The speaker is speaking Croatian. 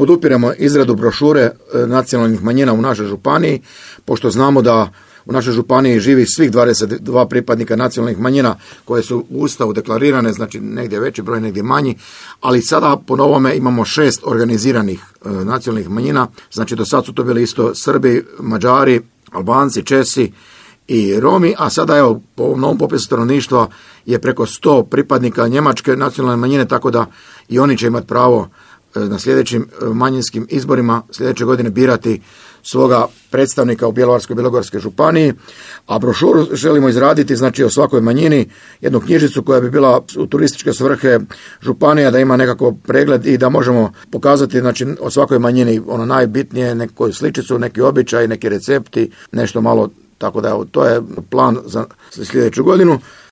podupiremo izradu brošure nacionalnih manjina u našoj županiji, pošto znamo da u našoj županiji živi svih 22 pripadnika nacionalnih manjina koje su u Ustavu deklarirane, znači negdje veći broj, negdje manji, ali sada po novome imamo 6 organiziranih nacionalnih manjina, znači do sad su to bili isto Srbi, Mađari, Albanci, Česi i Romi, a sada evo po ovom novom popisu stanovništva je preko 100 pripadnika njemačke nacionalne manjine, tako da i oni će imati pravo na sljedećim manjinskim izborima sljedeće godine birati svoga predstavnika u Bjelovarsko-bilogorskoj županiji, a brošuru želimo izraditi, znači o svakoj manjini, jednu knjižicu koja bi bila u turističke svrhe županija, da ima nekako pregled i da možemo pokazati, znači, o svakoj manjini ono najbitnije, neku sličicu, neki običaj, neki recepti, nešto malo, tako da to je plan za sljedeću godinu.